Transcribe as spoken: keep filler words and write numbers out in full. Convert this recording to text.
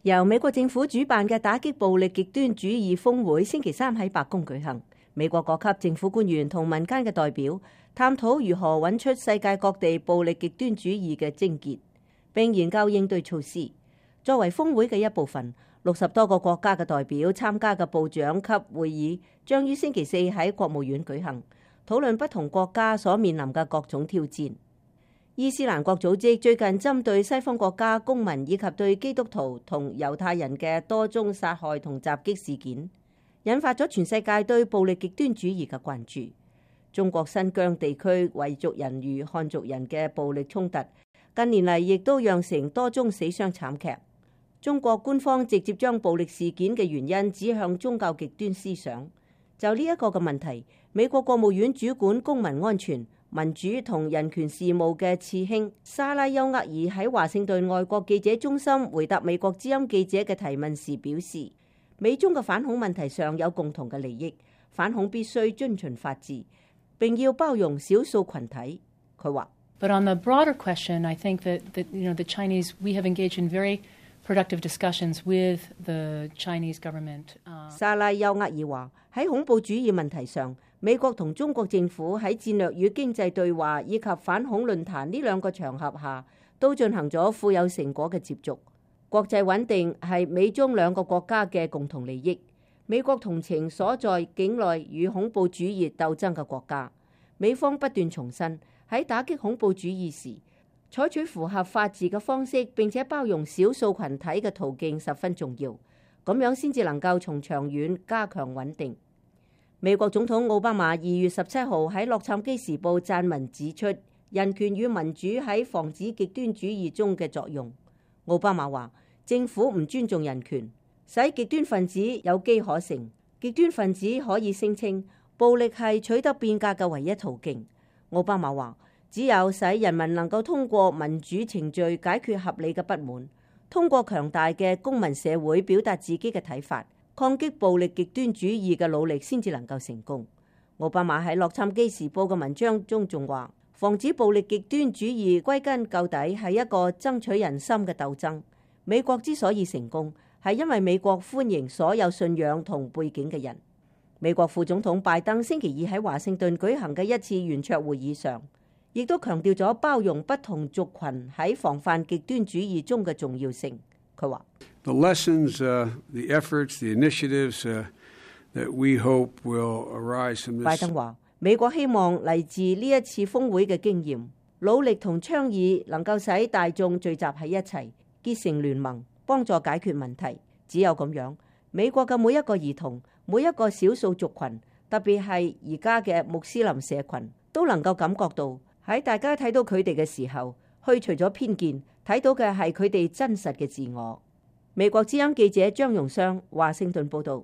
由美國政府主辦嘅打擊暴力極端主義峰會星期三喺白宮舉行，美國各級政府官員同民間嘅代表探討如何揾出世界各地暴力極端主義嘅症結，並研究應對措施。作為峰會嘅一部分，六十多個國家嘅代表參加嘅部長級會議將於星期四喺國務院舉行，討論不同國家所面臨嘅各種挑戰。伊斯蘭國組織最近針對西方國家公民以及對基督徒同猶太人嘅多宗殺害同襲擊事件，引發咗全世界對暴力極端主義嘅關注。中國新疆地區維族人與漢族人嘅暴力衝突，近年嚟亦都釀成多宗死傷慘劇。中國官方直接將暴力事件嘅原因指向宗教極端思想。就呢一個嘅問題，美國國務院主管公民安全、民主同人權事務嘅次卿莎拉丘厄爾喺華盛頓外國記者中心回答美國之音記者嘅提問時表示，美中嘅反恐問題上有共同嘅利益，反恐必須遵循法治，並要包容少數群體。佢話 But on the broader question, I think that, that you know, the Chinese, we have engaged in very productive discussions with the Chinese government. 莎拉丘厄爾話喺恐怖主義問題上，美國同中國政府喺戰略與經濟對話以及反恐論壇呢兩個場合下，都進行咗富有成果嘅接觸。國際穩定係美中兩個國家嘅共同利益。美國同情所在境內與恐怖主義鬥爭嘅國家。美方不斷重申喺打擊恐怖主義時，採取符合法治嘅方式，並且包容少數群體嘅途徑十分重要。咁樣先至能夠從長遠加強穩定。美國總統奧巴馬二月十七號喺洛杉磯時報撰文指出人權與民主喺防止極端主義中嘅作用。奧巴馬話政府唔尊重人權，使極端分子有機可乘。極端分子可以聲稱暴力係取得變革嘅唯一途徑。奧巴馬話只有使人民能夠通過民主程序解決合理嘅不滿，通過強大嘅公民社會表達自己嘅睇法，抗擊暴力極端主義嘅努力先至能夠成功。奧巴馬喺洛杉磯時報嘅文章中仲話，防止暴力極端主義歸根究底係一個爭取人心嘅鬥爭。美國之所以成功，係因為美國歡迎所有信仰同背景嘅人。美國副總統拜登星期二喺華盛頓舉行嘅一次圓桌會議上，亦都強調咗包容不同族群喺防範極端主義中嘅重要性。佢話The lessons, uh, the efforts, the initiatives, uh, that we hope will arise from this. 拜登話美國希望嚟自呢一次峰會嘅經驗，努力同倡議能夠使大眾聚集喺一齊，結成聯盟，幫助解決問題。只有咁樣，美國嘅每一個兒童、每一個少數族群，特別係而家嘅穆斯林社群，都能夠感覺到喺大家睇到佢哋嘅時候，去除咗偏見，睇到嘅係佢哋真實嘅自我。美國之音記者張容湘華盛頓報道。